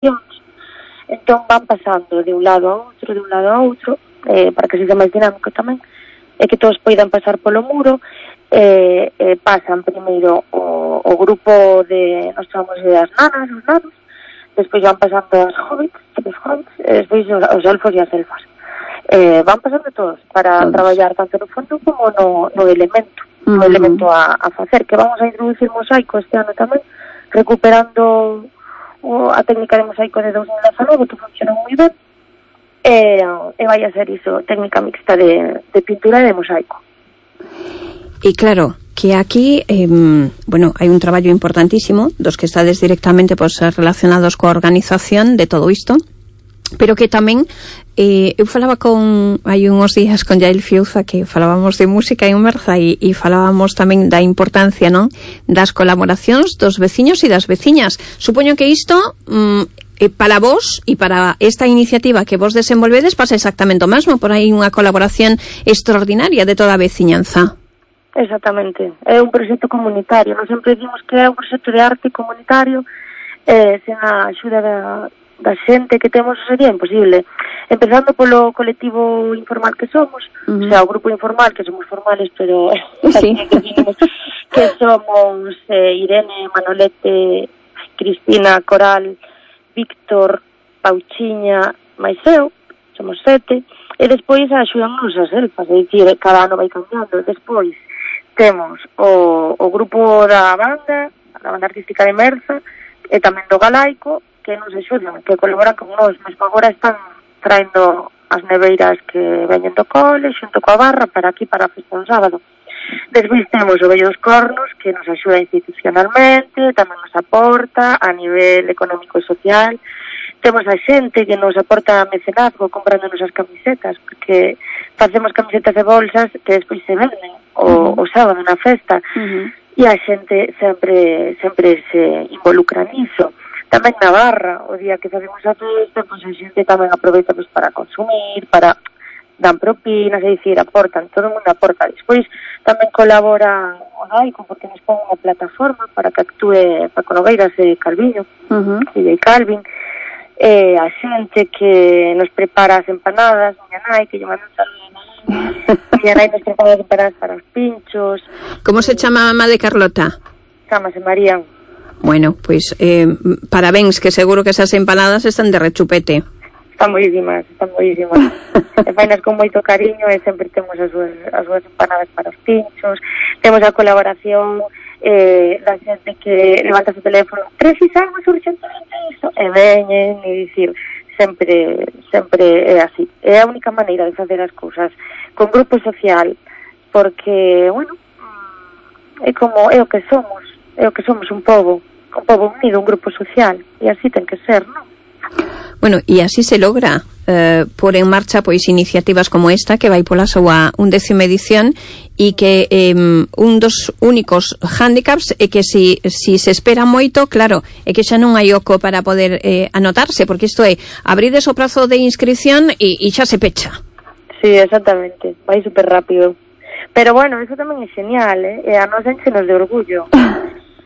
entón van pasando de un lado a outro, para que sexa máis dinámico tamén, e que todos poidan pasar polo muro. Pasan primeiro o grupo de, nos chamamos de as nanas, os nanos, despois van pasando os hobbits, e despois os elfos e as elfas. Van pasando todos para traballar tanto no fondo como no elemento, no elemento a facer, que vamos a introducir mosaico este ano tamén, recuperando a técnica de mosaico de 2019, que funciona moi ben, e vai a ser iso, técnica mixta de pintura e de mosaico. E claro, que aquí, hai un traballo importantísimo dos que estades directamente relacionados coa organización de todo isto, pero que tamén eu falaba hai unhos días con Yael Fiuza, que falábamos de música en Merza e falábamos tamén da importancia, non, das colaboracións dos veciños e das veciñas. Supoño que isto para vos e para esta iniciativa que vos desenvolvedes pasa exactamente o mesmo, por aí unha colaboración extraordinaria de toda a veciñanza. Exactamente, é un proxecto comunitario, non sempre dicimos que é un proxecto de arte comunitario, sen a axuda da xente que temos sería imposible. Empezando polo colectivo informal que somos, o sea, o grupo informal, que somos formales, pero sí. que somos Irene, Manolete, Cristina, Coral, Víctor, Pauchiña, máis eu, somos 7, e despois axudannos as elfas, é dicir, cada ano vai cambiando. Despois temos o grupo da banda artística de Merza, e tamén do Galaico, que nos axudan, que colaboran con nós, mesmo agora están traendo as neveiras que veñen do cole, xunto coa barra, para aquí, para a festa do sábado. Despois temos o Vello dos Cornos, que nos axuda institucionalmente, tamén nos aporta a nivel económico e social. Temos a xente que nos aporta mecenazgo comprándonos as camisetas, porque facemos camisetas e bolsas que despois se venden o sábado na festa, e a xente sempre se involucra niso. Tamén na barra, o día que facemos a festa, pois a xente tamén aproveita para consumir, para dan propinas, é dicir, aportan, todo o mundo aporta. Despois tamén colabora o Daico, porque nos pon unha plataforma para que actúe Paco Nogueiras e Calviño, e Calvin, a xente que nos prepara as empanadas, miña nai, que lle manda un saludo a miña nai nos prepara as empanadas para os pinchos. Como se chama a mamá de Carlota? Chámase María. Bueno, pois parabéns, que seguro que esas empanadas están de rechupete. Están moísimas. E fainas con moito cariño, e sempre temos as súas empanadas para os pinchos. Temos a colaboración da xente que levanta o teléfono, precisamos urgentemente iso, e veñen, e dicir, sempre é así. É a única maneira de facer as cousas con grupo social, porque, é o que somos un pobo unido, un grupo social, e así ten que ser, non? Bueno, e así se logra por en marcha pois iniciativas como esta, que vai pola súa 11ª edición, e que un dos únicos hándicaps é que si se espera moito, claro, é que xa non hai oco para poder anotarse, porque isto é, abrides o prazo de inscripción e xa se pecha. Sí, exactamente, vai super rápido. Pero bueno, eso tamén é genial, e a nos enchenos de orgullo.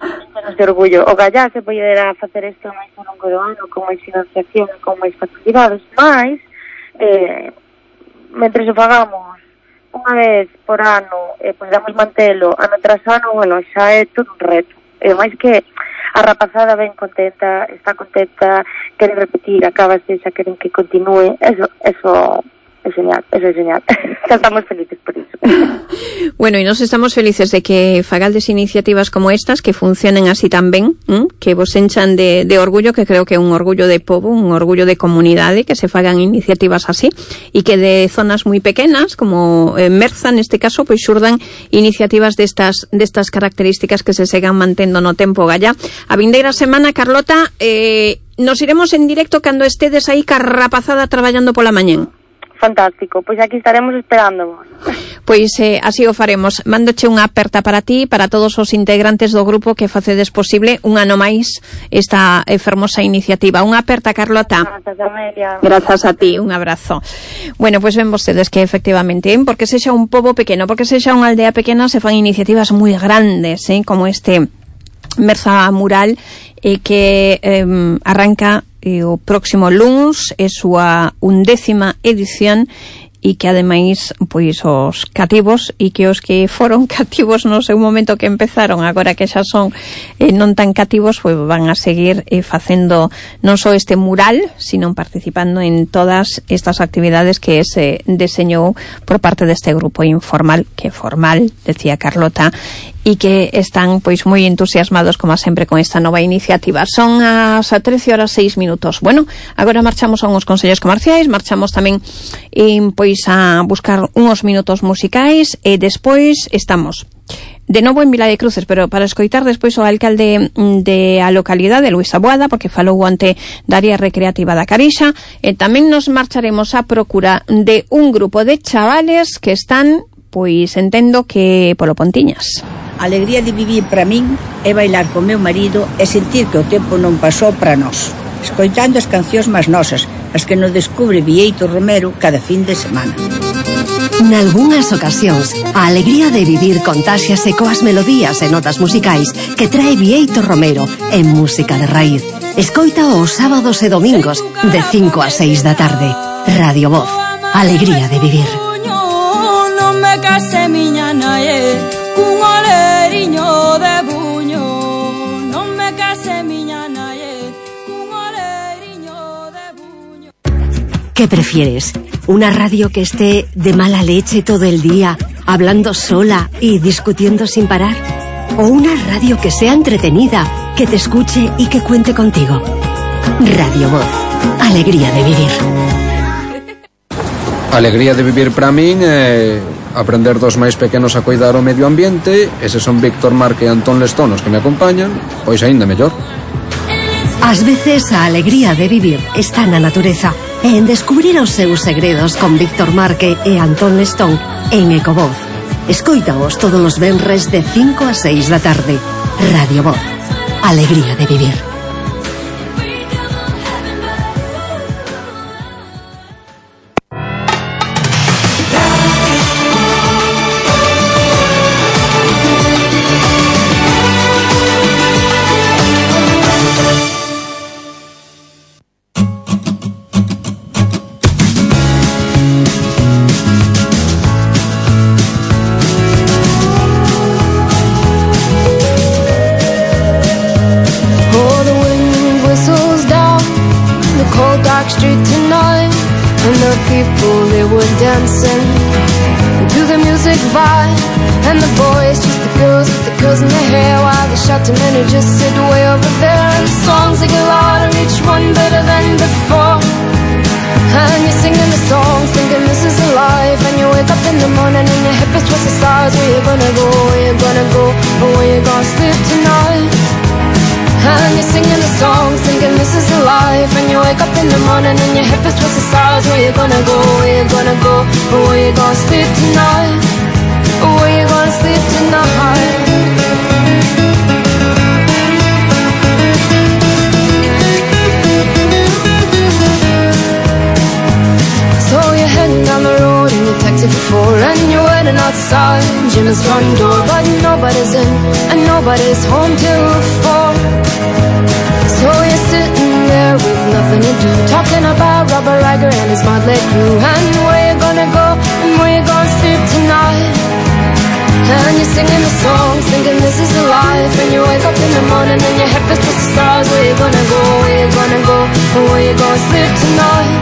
O Gallá se poderá facer isto máis ao longo do ano, con máis financiación, con máis facilidades, máis mentre o fagamos unha vez por ano, podamos mantelo ano tras ano, xa é todo un reto. E máis que a rapazada ben contenta, está contenta, quere repetir, acabase, xa queren que continúe, eso é genial. Estamos felices por iso. Bueno, e nos estamos felices de que fagaldes iniciativas como estas, que funcionen así tan ben, que vos enchan de orgullo, que creo que é un orgullo de pobo, un orgullo de comunidade, que se fagan iniciativas así, e que de zonas moi pequenas, como Merza neste caso, pois xurdan iniciativas destas características que se segan mantendo no tempo. Gallá, a vindeira semana, Carlota, nos iremos en directo cando estedes aí carrapazada traballando pola mañén. Fantástico, pois aquí estaremos esperándovos. Pois así o faremos. Mándoche unha aperta para ti, para todos os integrantes do grupo que facedes posible un ano máis esta fermosa iniciativa. Unha aperta, Carlota. Grazas, Amelia. Grazas a ti, un abrazo. Bueno, pois ven vostedes que efectivamente, porque sexa un pobo pequeno, porque sexa unha aldea pequena, se fan iniciativas moi grandes, como este Merza Mural, que arranca o próximo luns é súa 11ª edición, e que ademais pois os cativos e que os que foron cativos no seu momento que empezaron, agora que xa son non tan cativos, pois van a seguir facendo non só este mural, sino participando en todas estas actividades que se deseñou por parte deste grupo informal, que formal, decía Carlota, e que están pois moi entusiasmados como sempre con esta nova iniciativa. Son as 13:06. Bueno, agora marchamos a uns consellos comerciais, marchamos tamén pois a buscar uns minutos musicais e despois estamos de novo en Vila de Cruces, pero para escoitar despois o alcalde de a localidade, Luis Aboada, porque falou ante da área recreativa da Carixa, e tamén nos marcharemos a procura de un grupo de chavales que están, pois entendo que polo Pontiñas. A alegría de vivir para min é bailar con meu marido e sentir que o tempo non pasou para nós, escoitando as cancións máis nosas, as que nos descubre Bieito Romero cada fin de semana. Nalgúnas ocasións, a alegría de vivir contáxiase coas melodías e notas musicais que trae Bieito Romero en música de raíz. Escoita os sábados e domingos de 5 a 6 da tarde. Radio Voz, alegría de vivir. Non me case miña nae, cun oleriño de buño. Non me case miña nae, cun oleriño de buño. ¿Qué prefieres? ¿Una radio que esté de mala leche todo el día, hablando sola y discutiendo sin parar? ¿O una radio que sea entretenida, que te escuche y que cuente contigo? Radio Voz, alegría de vivir. Alegría de vivir para min é aprender dos máis pequenos a cuidar o medio ambiente. Eses son Víctor Marque e Antón Lestón os que me acompañan, pois aínda mellor. Ás veces a alegría de vivir está na natureza e en descubrir os seus segredos con Víctor Marque e Antón Lestón en Ecovoz. Escoítaos todos os venres de 5 a 6 da tarde. Radio Voz, alegría de vivir. Dancing to the music vibe, and the boys, just the girls with the curls in their hair, while the shouting men who just sit way over there. And the songs they get louder, each one better than before. And you're singing the songs, thinking this is a life. And you wake up in the morning and your hip is towards the stars. Where you gonna go? Where you gonna go? Or where you gonna sleep tonight? And you're singing the songs, thinking this is a life. And you wake up in the morning and your hip is towards the stars. Where you gonna go? Where you gonna go? Or where you gonna sleep tonight? Or where you gonna sleep tonight? So you're heading down the road in your taxi for 4, and you're waiting outside Jim's front door, but nobody's in and nobody's home till 4. So you're sitting there with nothing to do, talking about Robert Riger and his motley crew, and where you gonna go and where you gonna sleep tonight. And you're singing the songs, thinking this is a life. And you wake up in the morning and your head feels towards the stars. Where you gonna go? Where you gonna go? Or where you gonna sleep tonight?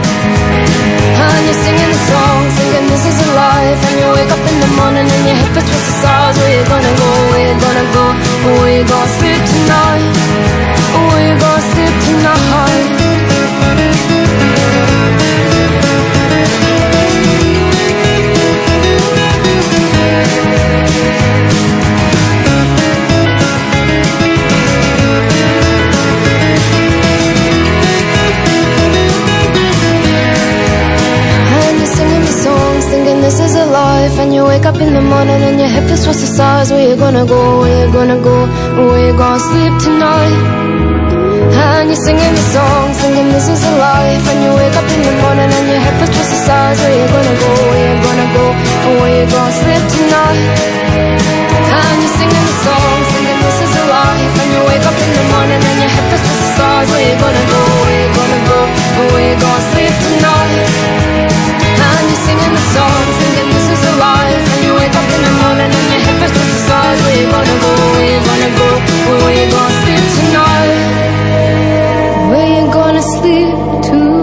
And you're singing the songs, thinking this is a life. And you wake up in the morning and your head feels towards the stars. Where you gonna go? Where you gonna go? Or where you gonna sleep tonight? Or where you gonna sleep tonight? This is a life, and you wake up in the morning and your head feels towards the stars. Where you gonna go? Where you gonna go? Where you gonna sleep tonight? And you're singing the song, singing this is a life. And you wake up in the morning and your head feels towards the stars. Where you gonna go? Where you gonna go? Where you gonna sleep tonight? And you're singing the song, singing this is a life. And you wake up in the morning and your head feels towards the stars. Where you gonna go? Where you gonna go? sleep tonight.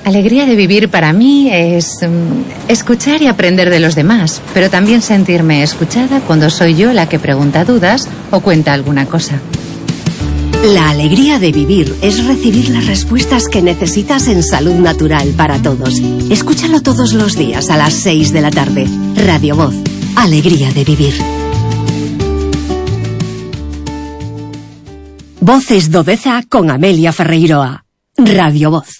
Alegría de vivir para mí es escuchar y aprender de los demás, pero también sentirme escuchada cuando soy yo la que pregunta dudas o cuenta alguna cosa. La alegría de vivir es recibir las respuestas que necesitas en Salud Natural para Todos. Escúchalo todos los días a las 6 de la tarde. Radio Voz. Alegría de vivir. Voces do Deza con Amelia Ferreiroa. Radio Voz.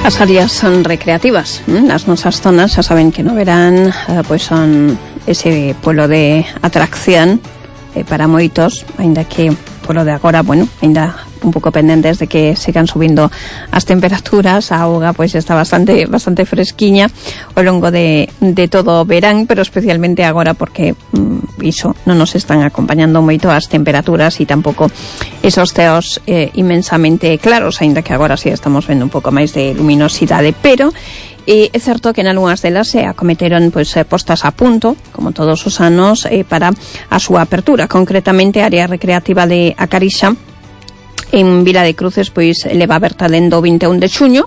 As áreas son recreativas, as nosas zonas xa saben que no verán pois son ese polo de atracción para moitos, aínda que polo de agora, bueno, aínda un pouco pendentes de que sigan subindo as temperaturas, a auga pois está bastante fresquiña ao longo de todo o verán, pero especialmente agora porque iso non nos están acompañando moito as temperaturas e tampouco esos ceos inmensamente claros, aínda que agora sí estamos vendo un pouco máis de luminosidade, pero é certo que en algunhas delas se acometeron pois postas a punto, como todos os anos, para a súa apertura, concretamente a área recreativa de A Carixa en Vila de Cruces pois leva aberta dende o 21 de xuño,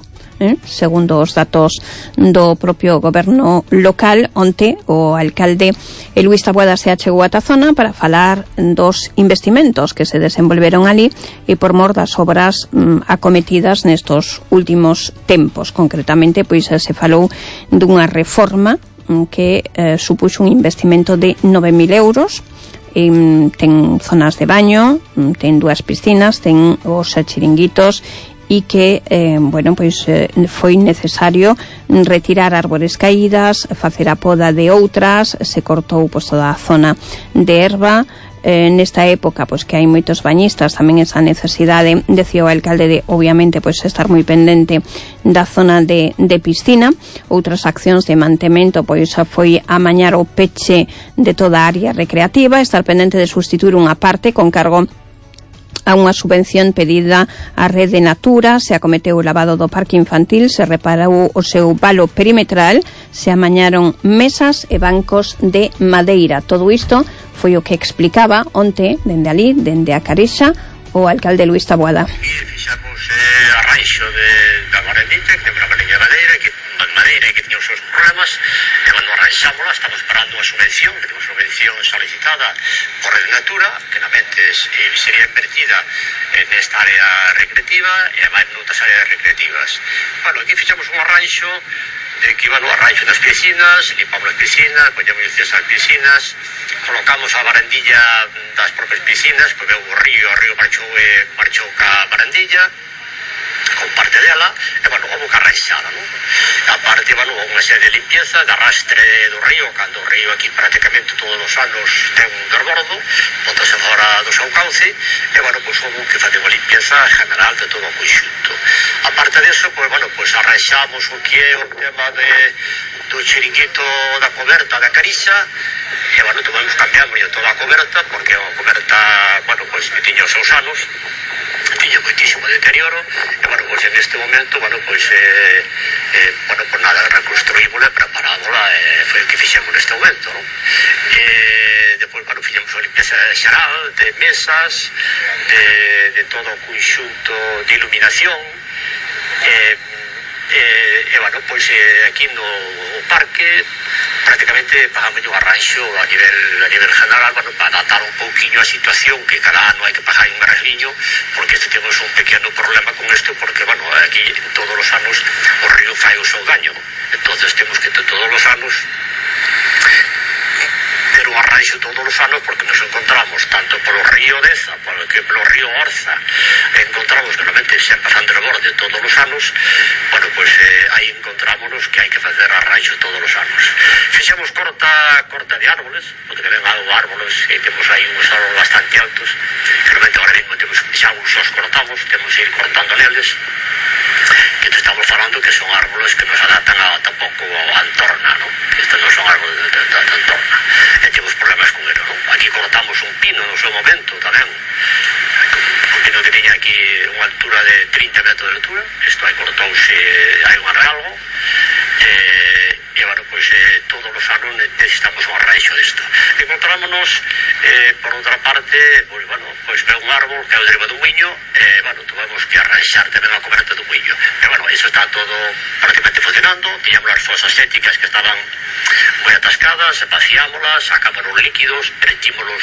segundo os datos do propio goberno local. Onte o alcalde Luís Taboada se achegou ata a zona para falar dos investimentos que se desenvolveron ali e por mor das obras acometidas nestos últimos tempos. Concretamente pois se falou dunha reforma que supuxo un investimento de 9.000 euros. Ten zonas de baño, ten 2 piscinas, ten os chiringuitos e que, foi necesario retirar árbores caídas, facer a poda de outras, se cortou toda a zona de erva. Nesta época, que hai moitos bañistas, tamén esa necesidade, decía o alcalde, de, obviamente, estar moi pendente da zona de piscina. Outras accións de mantemento, foi amañar o peche de toda a área recreativa, estar pendente de sustituir unha parte con cargo a unha subvención pedida á Rede Natura, se acometeu o lavado do parque infantil, se reparou o seu valo perimetral, se amañaron mesas e bancos de madeira. Todo isto foi o que explicaba onte, dende ali, dende A Carixa, o alcalde Luís Taboada. Fixamos arranxo da barandita, que temos a barandilla de madeira que tiña os seus problemas, e cando arranxámola estamos esperando a subvención, que temos subvención solicitada por Rede Natura, que realmente sería invertida nesta área recreativa e además noutras áreas recreativas. Bueno, aquí fixamos un arranxo de que iban o arranxo das piscinas, limpamos as piscinas, poñemos licencia as piscinas, colocamos a barandilla das propias piscinas, porque o río marchou ca barandilla, con parte dela, e, houve que arranxala, non? A parte, unha serie de limpieza, de arrastre do río, cando o río aquí prácticamente todos os anos ten un desbordo, botase fora do seu cauce, e, houve que facer unha limpieza general de todo o conxunto. A parte disso, arranxamos o que é o tema do chiringuito da coberta da Carixa, e, tuvemos cambiamos toda a coberta, porque a coberta, que tiña os seus anos, tiña moitísimo deterioro, e, en este momento, nada, reconstruímola, preparámola, foi o que fixemos neste momento, non? Depois, fixemos a limpieza xeral de mesas, de todo o conxunto de iluminación, aquí no parque prácticamente pagamos un arranxo a nivel general, para adaptar un pouquiño a situación, que cada ano hai que pagar un arregliño, porque temos un pequeno problema con isto, porque aquí todos os anos o río fai o seu daño, entonces temos que todos os anos ter un arranxo todos os anos, porque nos encontramos tanto polo río Deza, polo río Orza, encontramos que realmente se empezan de borde todos os anos, arraixo todos os anos. Fixemos corta de árboles, porque ven algo árboles e temos aí uns árboles bastante altos, que realmente agora mesmo temos xa uns os cortamos, temos que ir cortando neles, que te estamos falando que son árboles que nos adaptan tampouco a entorna, non? Que estes non son árboles da entorna, e temos problemas con ele, non? Aquí cortamos un pino no seu momento tamén, un pino que tiña aquí unha altura de 30 metros de altura, isto aí cortouse hai un arralgo, e bueno, pois todos os anos necesitamos un arraixo disto. Encontrámonos por outra parte, pois bueno, pois ve un árbol que é o deriva do muiño, bueno, tuvemos que arraixar tamén a coberta do muiño, pero bueno, iso está todo prácticamente funcionando. Tiñamos as fosas sépticas que estaban moi atascadas, vaciámolas, sacamos os líquidos, metímolos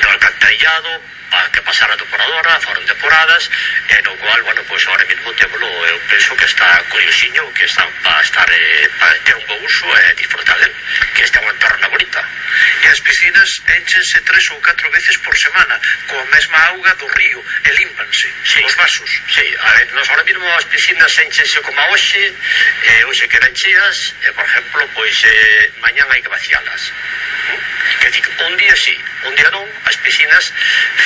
no alcantarillado para que pasara a depuradora, foron depuradas, e no cual, bueno, pois agora mesmo temolo, eu penso que está curiosiño, que está para ter un bo uso e disfrutar del, que esta é unha entorna bonita. E as piscinas énchense 3 ou 4 veces por semana coa mesma auga do río e límpanse, sí, os vasos. Sí, a ver, nos ahora mesmo as piscinas énchense como a hoxe, hoxe quedan cheas, e por exemplo, pois mañán hai que vacialas. Que dic, un día sí, un día non, as piscinas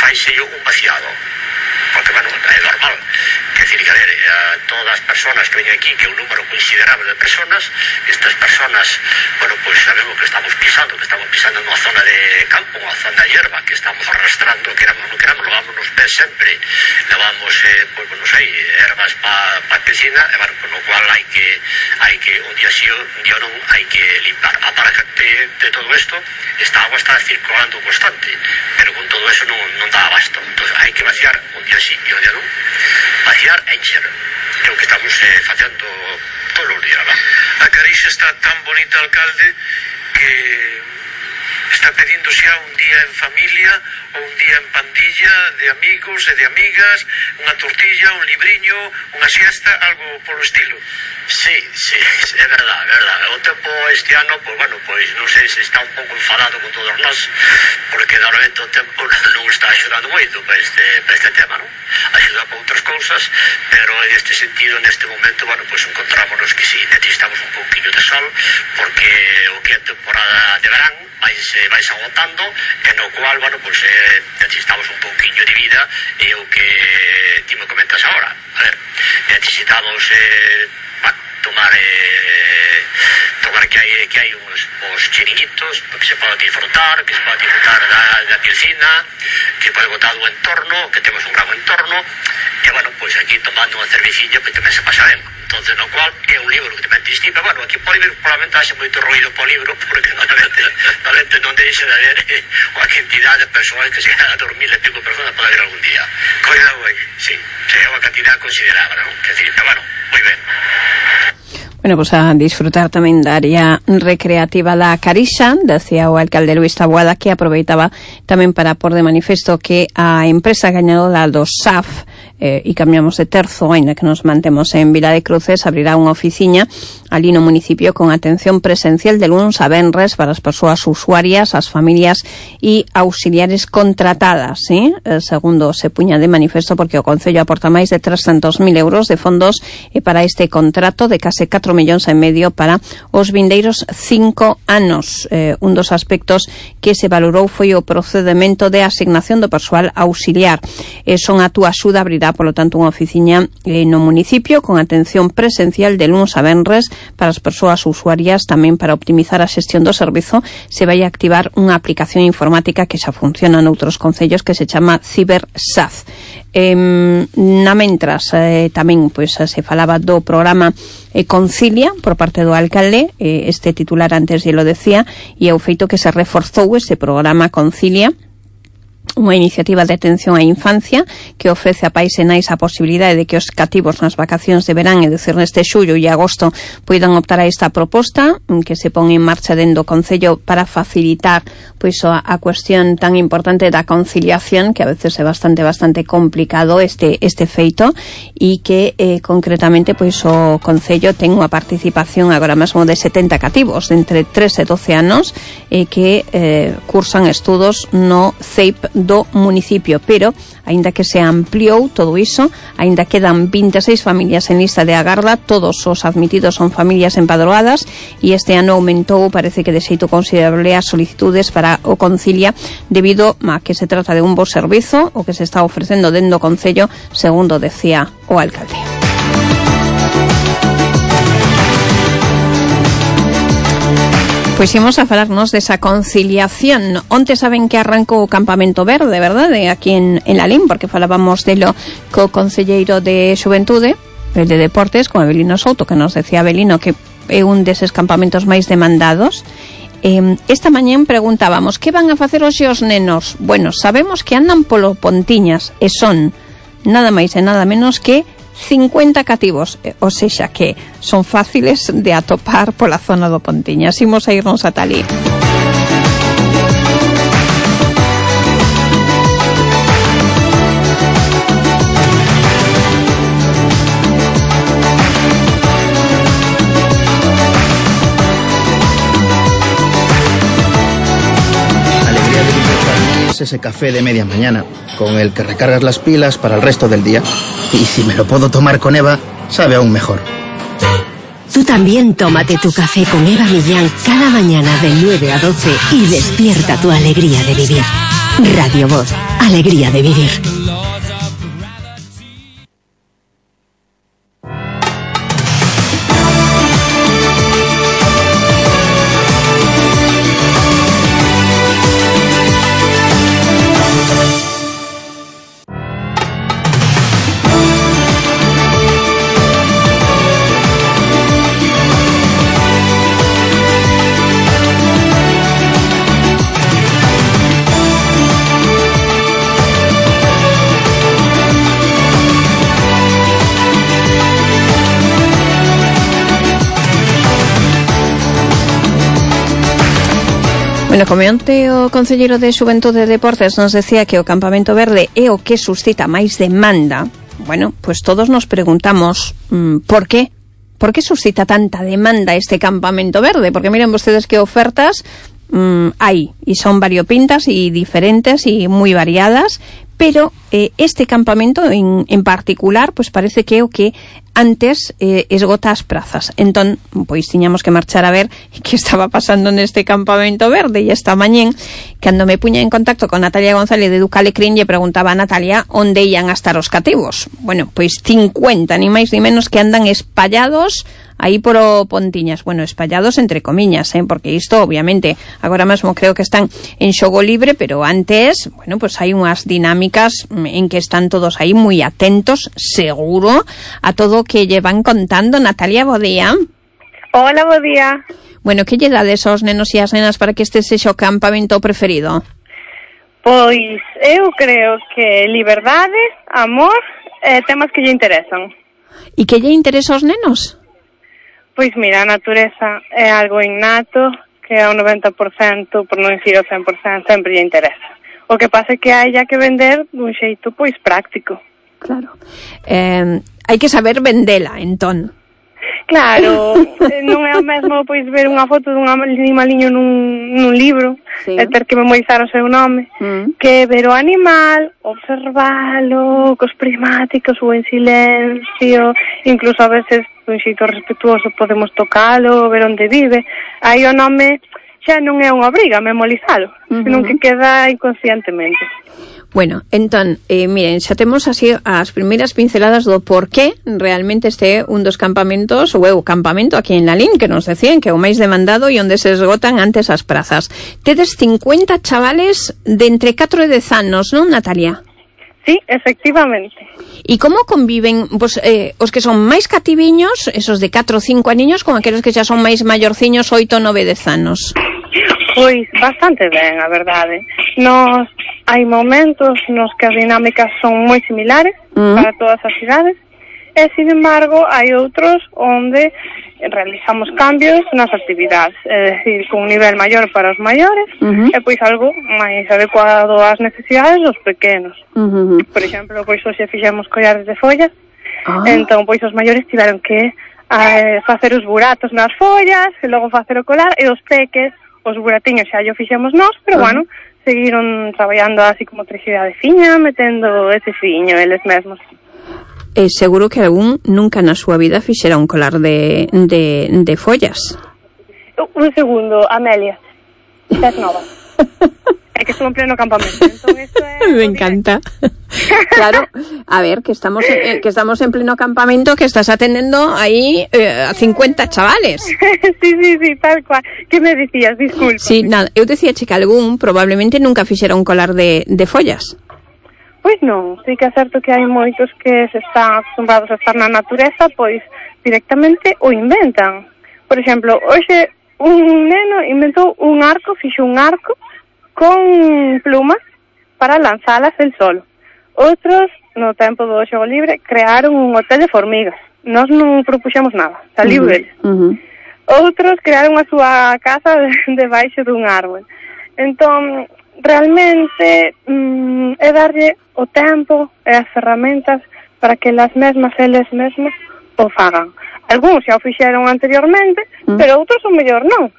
faise un vaciado, porque, bueno, é normal. Que decir, que a ver, a todas as personas que veñen aquí, que é un número considerable de personas, estas personas, bueno, pois sabemos que estamos pisando nunha zona de campo, unha zona de hierba, que estamos arrastrando, queramos ou non queramos, levamos nos pés sempre, levamos, pois, non sei, herbas para a piscina, e, bueno, con o cual hai que, un día sí, un día non, hai que limpar. A parte de todo isto, esta agua está circulando constante, pero con todo eso non dá abasto. Entón, hai que vaciar un día sí e un día non, vaciar e encher, que é o que estamos facendo todos os días, non? A Carixa está tan bonita, alcalde, que está pedindo xa un día en familia ou un día en pandilla de amigos e de amigas, unha tortilla, un libriño, unha siesta, algo polo estilo. Sí, é verdade. O tempo este ano, pois, bueno, pois non sei se está un pouco enfadado con todos nós, porque normalmente o tempo non está axudando moito para este tema, non? Axuda para outras cousas, pero en este sentido, neste momento, bueno, pois encontrámonos que sí, necesitamos un pouquinho de sol, porque o que é temporada de verán vais agotando, e no cual, bueno, pois necesitamos un pouquinho de vida, e o que ti me comentas agora. A ver, necesitamos tomar que hai uns chiringuitos que se pode disfrutar, da piscina, que pode botar do entorno, que temos un gran entorno, e, bueno, pois aquí tomando unha cerveciña, pois tamén se pasa ben. Entonces, no cual é un libro que tamén distingue, pero, bueno, aquí pode haber probablemente haxe moito ruido po libro, porque normalmente non deixa de haber unha cantidad de persoas que se quedan a dormir, e pico personas pode haber algún día. Cuidado aí. Sí, é unha cantidad considerable, non? Que decir, pero, bueno, moi ben. Bueno, pues a disfrutar tamén da área recreativa da Carixa, decía o alcalde Luís Taboada, que aproveitaba tamén para pôr de manifesto que a empresa gañadora do SAF, e cambiamos de terzo, ainda que nos mantemos en Vila de Cruces, abrirá unha oficiña ali no municipio con atención presencial de luns a venres para as persoas usuarias, as familias e auxiliares contratadas, ¿sí? Segundo se puña de manifesto, porque o Concello aporta máis de 300.000 euros de fondos para este contrato de case 4,5 millóns para os vindeiros 5 anos. Un dos aspectos que se valorou foi o procedemento de asignación do persoal auxiliar. Son a túa axuda abrirá, polo tanto, unha oficiña no municipio con atención presencial de luns a venres para as persoas usuarias. Tamén para optimizar a xestión do servizo se vai activar unha aplicación informática que xa funciona noutros concellos, que se chama CiberSaz. Na mentras tamén pois se falaba do programa Concilia por parte do alcalde, este titular antes lle lo decía, e o feito que se reforzou ese programa Concilia, unha iniciativa de atención á infancia que ofrece a pais e nais a posibilidade de que os cativos nas vacacións de verán, é dicir, neste xullo e agosto, poidan optar a esta proposta que se pon en marcha dentro do Concello para facilitar pois a cuestión tan importante da conciliación, que a veces é bastante complicado este feito, e que concretamente pois o Concello ten unha participación agora mesmo de 70 cativos de entre 3 e 12 anos que cursan estudos no CEIP do municipio, pero aínda que se ampliou todo iso, aínda quedan 26 familias en lista de agarda, todos os admitidos son familias empadroadas, e este ano aumentou, parece que de xeito considerable, as solicitudes para o Concilia debido a que se trata de un bo servizo o que se está ofrecendo dentro do Concello, segundo decía o alcalde. Pois imos a falarnos desa conciliación. Onte saben que arrancou o Campamento Verde, verdade? Aquí en Lalín, porque falábamos delo co concelleiro de Xuventude, el de Deportes, con Abelino Souto, que nos decía Abelino que é un deses campamentos máis demandados. Esta mañán preguntábamos que van a facer hoxe os nenos. Bueno, sabemos que andan polo Pontiñas e son nada máis e nada menos que 50 cativos, ou sexa que son fáciles de atopar pola zona do Pontiñas. Imos a irnos ata ali. Ese café de media mañana, con el que recargas las pilas para el resto del día. Y si me lo puedo tomar con Eva, sabe aún mejor. Tú también tómate tu café con Eva Millán cada mañana de 9 a 12 y despierta tu alegría de vivir. Radio Voz, alegría de vivir. Bueno, como onte o concelleiro de Xuventude e Deportes nos decía que o Campamento Verde é o que suscita máis demanda, bueno, pues todos nos preguntamos por qué? Por que suscita tanta demanda este Campamento Verde? Porque miren vostedes que ofertas hai, e son variopintas e diferentes e moi variadas, pero este campamento en particular, pues parece que é o que antes esgota as prazas. Entón, pois tiñamos que marchar a ver que estaba pasando neste Campamento Verde, e esta mañén, cando me puña en contacto con Natalia González de Ducalecrín, lle preguntaba a Natalia onde ian a estar os cativos. Bueno, pois 50, ni máis ni menos, que andan espallados aí por o Pontiñas. Bueno, espallados entre comiñas, porque isto, obviamente, agora mesmo creo que están en xogo libre, pero antes, bueno, pues hai unhas dinámicas en que están todos aí moi atentos, seguro, a todo o que lle van contando. Natalia, bo día. Hola, bo día. Bueno, que lle dades aos nenos e as nenas para que este sexa o campamento preferido? Pois eu creo que liberdade, amor, temas que lle interesan. E que lle interesa aos nenos? Pois mira, a natureza é algo innato que ao 90%, por non dicir ao 100%, sempre lle interesa. O que pasa é que hai que vender dun xeito pois práctico. Claro. Hai que saber vendela, entón. Claro, non é o mesmo pois ver unha foto dun animaliño nun libro, sí, e ter que memorizar o seu nome, que ver o animal, observalo, cos prismáticos ou en silencio, incluso a veces dun xeito respetuoso podemos tocalo, ver onde vive. Aí o nome xa non é unha obriga memorizalo, senón que queda inconscientemente. Bueno, entón, miren, xa temos así as primeiras pinceladas do por qué realmente este é un dos campamentos, ou é o campamento aquí en Lalín, que nos decían que é o máis demandado e onde se esgotan antes as prazas. Tedes 50 chavales de entre 4 e 10 anos, non, Natalia? Sí, efectivamente. E como conviven pues, os que son máis cativiños, esos de 4 ou 5 aniños, con aqueles que xa son máis maiorciños, 8, 9, 10 anos? Pois bastante ben, a verdade. Hai momentos nos que as dinámicas son moi similares para todas as cidades, e, sin embargo, hai outros onde realizamos cambios nas actividades, é dicir, con un nivel maior para os maiores e pois algo máis adecuado ás necesidades dos pequenos. Por exemplo, pois hoxe fixemos collares de follas, entón pois os maiores tiveron que facer os buratos nas follas e logo facer o colar, e os peques, os buratiños xa o fixemos nós, pero bueno, seguiron traballando así como motricidade fiña, metendo ese fiño eles mesmos. Seguro que algún nunca na súa vida fixera un colar de follas. Un segundo, Amelia, estás nova. É que estou en pleno campamento, entón isto é... Me encanta. Claro, a ver, que estamos en pleno campamento, que estás atendendo aí a 50 chavales. Sí, tal cual. Que me dicías? Disculpa. Sí, nada, eu decía que algún probablemente nunca fixera un colar de follas. Pois non, sí que é certo que hai moitos que se están acostumbrados a estar na natureza, pois directamente o inventan. Por exemplo, hoxe un neno inventou un arco, fixo un arco con plumas para lanzalas el solo. Outros, no tempo do xogo libre, crearon un hotel de formigas. Nós non propuxemos nada, saliu deles. Outros crearon a súa casa debaixo dun árbol. Entón, realmente é darlle o tempo e as ferramentas para que eles mesmos o fagan. Algúns xa o fixeron anteriormente, pero outros o mellor non.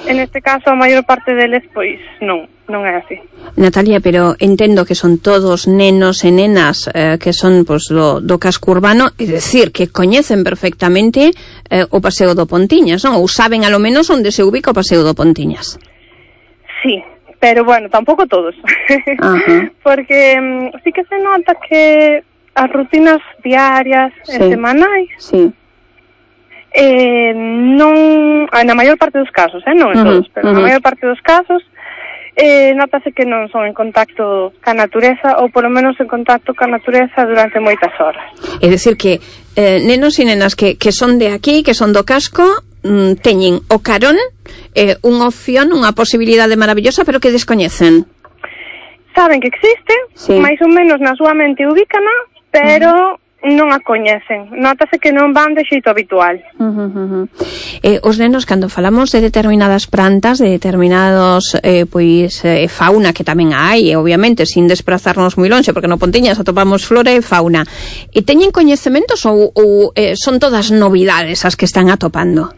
En este caso, a maior parte deles, pois, non é así. Natalia, pero entendo que son todos nenos e nenas que son pois, do casco urbano, é dicir, que coñecen perfectamente o Paseo do Pontiñas, non? Ou saben a lo menos onde se ubica o Paseo do Pontiñas. Sí, pero bueno, tampouco todos. Porque sí que se nota que as rutinas diarias e semanais non, na maior parte dos casos, non en todos, pero na maior parte dos casos notase que non son en contacto ca natureza, ou polo menos en contacto ca natureza durante moitas horas. É dicir que nenos e nenas que son de aquí, que son do casco, teñen o carón, unha opción, unha posibilidade maravillosa, pero que descoñecen. Saben que existe, máis ou menos na súa mente ubícana, pero non a coñecen. Notase que non van de xeito habitual. Os nenos, cando falamos de determinadas plantas, de determinados fauna, que tamén hai, obviamente, sin desprazarnos moi lonxe, porque no Pontiñas atopamos flora e fauna, teñen coñecementos ou son todas novidades as que están atopando?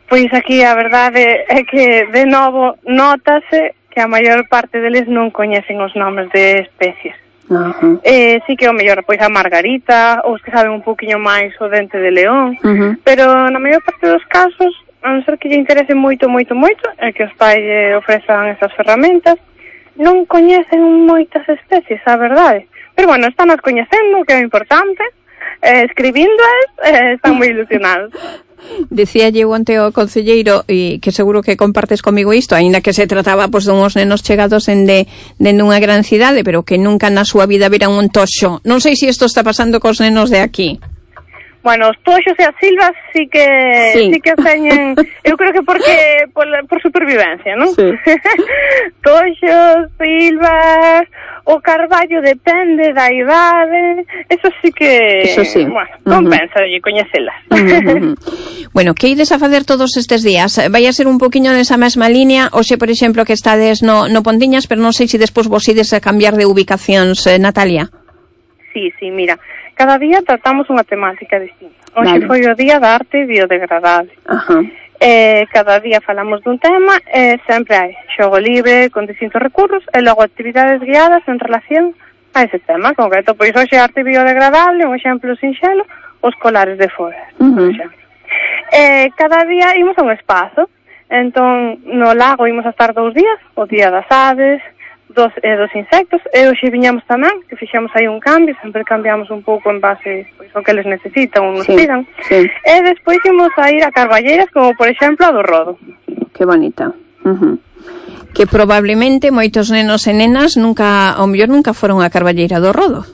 Pois aquí a verdade é que, de novo, notase que a maior parte deles non coñecen os nomes de especies. Sí que o mellor pois a margarita, ou os que saben un poquinho máis o dente de león, pero na maior parte dos casos, a non ser que lle interese moito e que os pais ofrezan esas ferramentas, non coñecen moitas especies, a verdade. Pero bueno, están as coñecendo, que é o importante, escribíndoas, están moi ilusionados. Decía eu onte ao concelleiro, e que seguro que compartes comigo isto, aínda que se trataba pois dunhos nenos chegados dende unha gran cidade, pero que nunca na súa vida viran un toxo. Non sei se isto está pasando cos nenos de aquí. Bueno, os toxos e as silvas sí que teñen, eu creo que porque por supervivencia, non? Sí. Toxos, silvas, o carballo depende da idade, eso sí que, bueno, compensa de coñecelas. Bueno, que ides a facer todos estes días? Vai a ser un poquinho nesa mesma línea, hoxe, por exemplo, que estades no Pontiñas, pero non sei se despois vos ides a cambiar de ubicacións, Natalia. Sí, mira, cada día tratamos unha temática distinta. Hoxe foi o día da arte biodegradable. Cada día falamos dun tema e sempre hai xogo libre con distintos recursos e logo actividades guiadas en relación a ese tema concreto. Pois hoxe arte biodegradable, un exemplo sinxelo, os colares de foras, por exemplo. Cada día imos a un espazo, entón no lago imos a estar 2 días, o día das aves, dos insectos, e hoxe viñamos tamén, que fixemos aí un cambio, sempre cambiamos un pouco en base pois, ao que eles necesitan ou nos pidan, e despois imos a ir a carballeiras, como por exemplo a do Rodo. Que bonita. Que probablemente moitos nenos e nenas ao mellor nunca foron a carballeira do Rodo.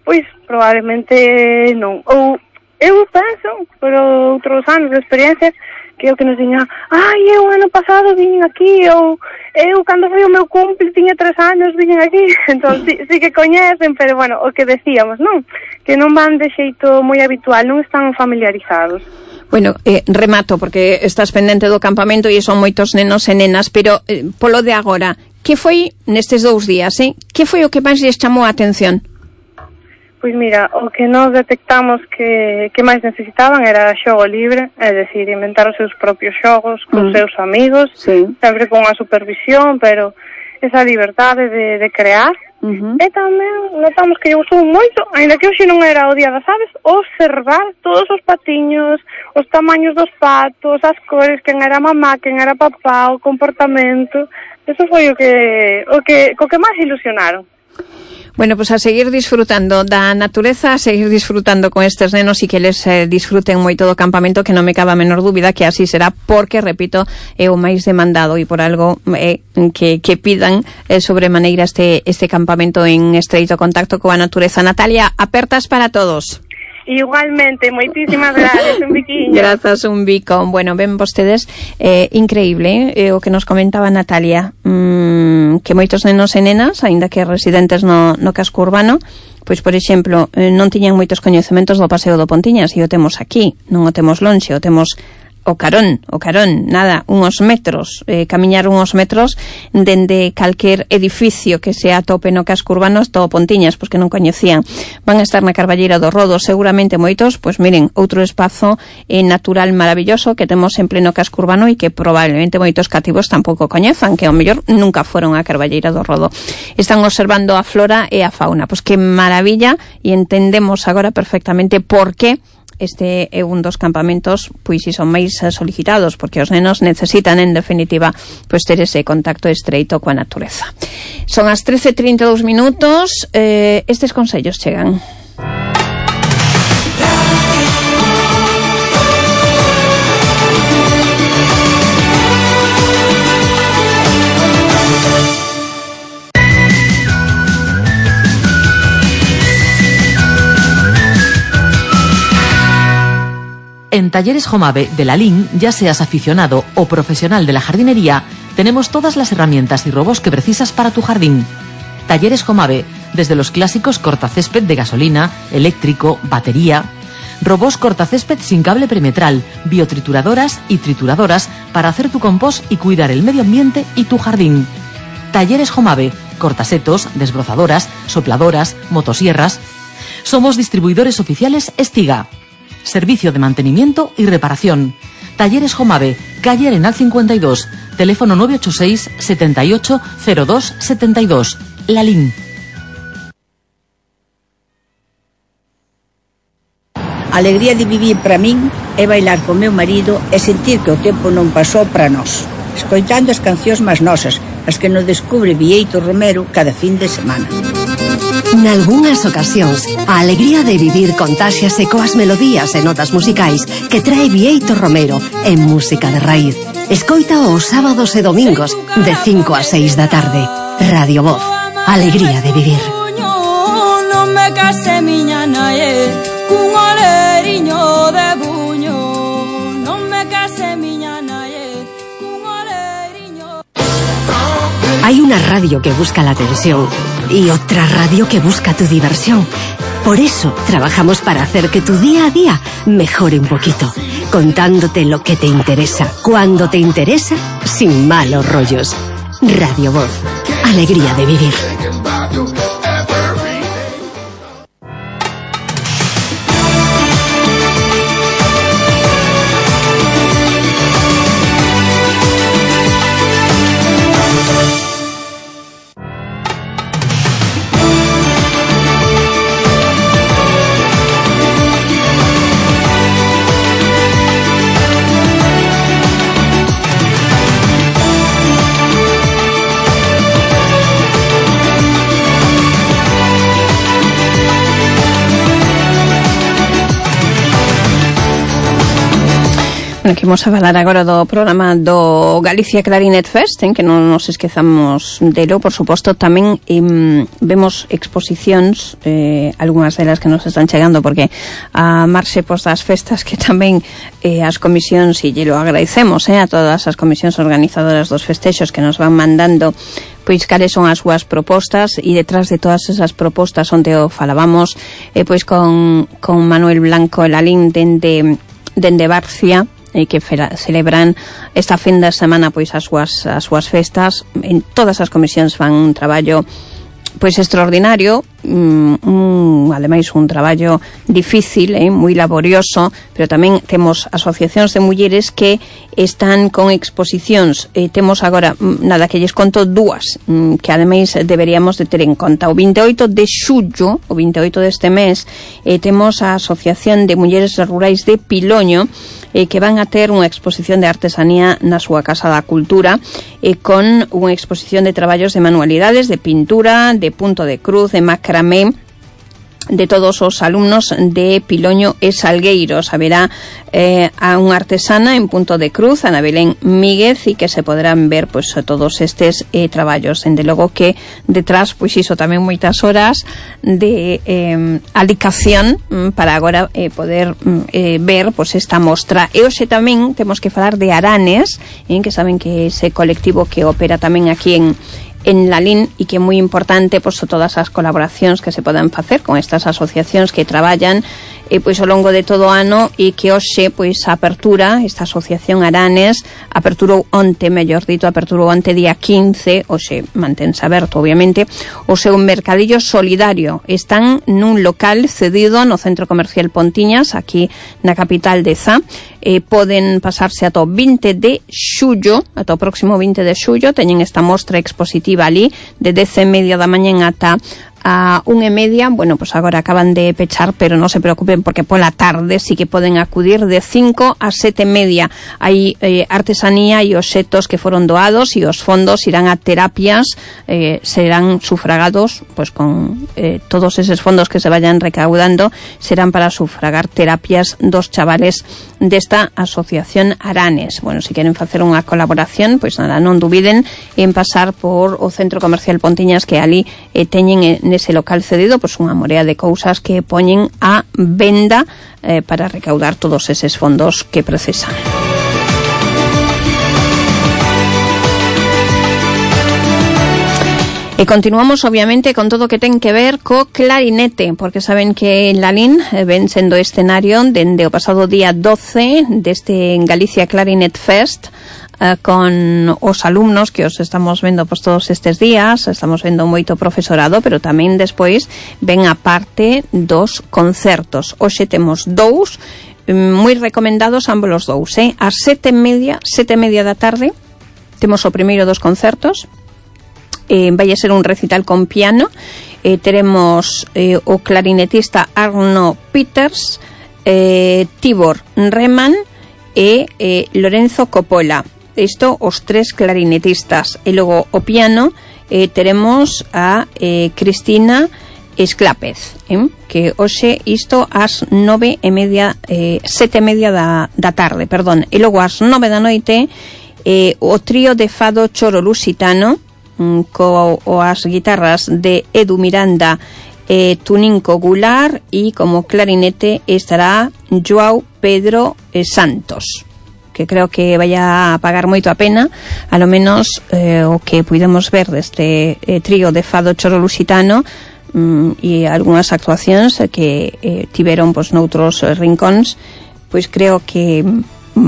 Pois probablemente non, ou eu penso, por outros anos de experiencia, que o que nos diña, eu ano pasado vin aquí, ou eu cando foi o meu cumple tiña 3 anos, vin aquí. Entón, sí que coñecen, pero bueno, o que decíamos, non? Que non van de xeito moi habitual, non están familiarizados. Bueno, remato, porque estás pendente do campamento e son moitos nenos e nenas, pero polo de agora, que foi nestes 2 días, que foi o que máis lles chamou a atención? Pois mira, o que nós detectamos que máis necesitaban era xogo libre, é dicir, inventar os seus propios xogos con seus amigos, sempre con a supervisión, pero esa liberdade de crear. E tamén notamos que lle gustou moito, ainda que hoxe non era o día das aves, observar todos os patiños, os tamaños dos patos, as cores, quen era mamá, quen era papá, o comportamento. Eso foi co que máis ilusionaron. Bueno, pues a seguir disfrutando da natureza, a seguir disfrutando con estes nenos e que les disfruten moito do campamento, que non me cabe a menor dúbida que así será, porque, repito, é o máis demandado e por algo que pidan sobremaneira este campamento en estreito contacto coa natureza. Natalia, apertas para todos. Igualmente, moitísimas gracias, un biquiño. Grazas, un bico. Bueno, ven vostedes, increíble, o que nos comentaba Natalia, que moitos nenos e nenas, aínda que residentes no casco urbano, pois, por exemplo, non tiñan moitos coñecementos do paseo do Pontiñas, e o temos aquí, non o temos lonxe, o temos o carón, nada, unhos metros, camiñar unhos metros dende calquer edificio que se atope no casco urbano hasta o Pontiñas, pois que non coñecían. Van a estar na Carballeira do Rodo, seguramente moitos, pois miren, outro espazo natural maravilloso que temos en pleno casco urbano e que probablemente moitos cativos tampouco coñezan, que ao mellor nunca foron a Carballeira do Rodo. Están observando a flora e a fauna, pois que maravilla, e entendemos agora perfectamente por que este é un dos campamentos, pois si son máis solicitados, porque os nenos necesitan, en definitiva, pois ter ese contacto estreito coa natureza. Son as 13:32 minutos, estes consellos chegan. En Talleres Jomave de Lalín, ya seas aficionado o profesional de la jardinería, tenemos todas las herramientas y robos que precisas para tu jardín. Talleres Jomave, desde los clásicos cortacésped de gasolina, eléctrico, batería, robos cortacésped sin cable perimetral, biotrituradoras y trituradoras para hacer tu compost y cuidar el medio ambiente y tu jardín. Talleres Jomave, cortasetos, desbrozadoras, sopladoras, motosierras. Somos distribuidores oficiales Estiga. Servicio de mantenimiento y reparación. Talleres Jomave, calle Arenal 52, teléfono 986 78 02 72. Lalín. A alegría de vivir para min é bailar con meu marido e sentir que o tempo non pasou para nós, escoitando as cancións máis nosas, as que nos descubre Vieito Romero cada fin de semana. Nalgúnas ocasións, a alegría de vivir contáxiase coas melodías e notas musicais que trae Vieito Romero en música de raíz. Escoita os sábados e domingos de 5 a 6 da tarde. Radio Voz, alegría de vivir. Non me case miña nae cun oleriño de buño. Non me case miña nae cun oleriño. Hay una radio que busca la atención y otra radio que busca tu diversión. Por eso trabajamos para hacer que tu día a día mejore un poquito, contándote lo que te interesa, cuando te interesa, sin malos rollos. Radio Voz, alegría de vivir. Bueno, que imos a falar agora do programa do Galicia Clarinet Fest, en que non nos esquezamos delo, por suposto. Tamén vemos exposicións, algunhas delas que nos están chegando, porque a marxe pos das festas, que tamén as comisións, e lle lo agradecemos a todas as comisións organizadoras dos festexos que nos van mandando pois cales son as súas propostas, e detrás de todas esas propostas onde o falábamos pois con Manuel Blanco e Lalín dende Barcia, que celebran esta fin de semana pois as súas festas. En todas as comisións fan un traballo pois extraordinario, ademais un traballo difícil, moi laborioso, pero tamén temos asociacións de mulleres que están con exposicións. Temos agora, nada, que lles conto dúas, que ademais deberíamos de ter en conta. O 28 de xullo, o 28 deste mes, temos a Asociación de Mulleres Rurais de Piloño, que van a ter unha exposición de artesanía na súa Casa da Cultura, con unha exposición de traballos de manualidades, de pintura, de punto de cruz, de macramé, de todos os alumnos de Piloño e Salgueiros. Haberá a unha artesana en punto de cruz, Ana Belén Míguez, e que se podrán ver pois todos estes traballos. Dende logo que detrás, pois iso tamén moitas horas de alicación para agora poder ver pois esta mostra. E hoxe tamén temos que falar de Aranes, que saben que ese colectivo que opera tamén aquí en Lalín e que é moi importante pois todas as colaboracións que se poden facer con estas asociacións que traballan pois ao longo de todo o ano, e que hoxe pois a apertura, esta asociación Aranes aperturou onte día 15, hoxe mantense aberto obviamente, o seu mercadillo solidario. Están nun local cedido no Centro Comercial Pontiñas, aquí na capital de Zá. Poden pasarse ata o 20 de xullo, ata o próximo 20 de xullo, teñen esta mostra expositiva ali de 10:30 da mañá ata a 1:30. Bueno, pues agora acaban de pechar, pero non se preocupen porque pola tarde sí que poden acudir de 5 a 7:30. Hai artesanía e obxetos que foron doados, e os fondos irán a terapias, serán sufragados, pues con todos eses fondos que se vayan recaudando serán para sufragar terapias dos chavales desta asociación Aranes. Bueno, se queren facer unha colaboración, pois nada, non dubiden en pasar por o Centro Comercial Pontiñas, que ali teñen nese local cedido pois unha morea de cousas que poñen a venda para recaudar todos eses fondos que precisan. E continuamos obviamente con todo o que ten que ver co clarinete, porque saben que Lalín ven sendo escenario dende o pasado día 12 deste Galicia Clarinet Fest, con os alumnos que os estamos vendo pois todos estes días. Estamos vendo moito profesorado, pero tamén despois ven a parte dos concertos. Hoxe temos dous moi recomendados, ambos os dous, ás 7:30 da tarde temos o primeiro dos concertos. Vai a ser un recital con piano. Teremos o clarinetista Arno Peters, Tibor Reman e Lorenzo Coppola. Isto os tres clarinetistas. E logo o piano teremos a Cristina Esclápez, que hoxe isto ás 7:30 da tarde, perdón. E logo ás 9 da noite o trío de fado Choro Lusitano, coas guitarras de Edu Miranda e Tuninco Gular, e como clarinete estará Joao Pedro Santos, que creo que vai a pagar moito a pena, a lo menos o que puidemos ver deste trío de fado Choro Lusitano, e algunhas actuacións que tiveron pois noutros rincóns, pois creo que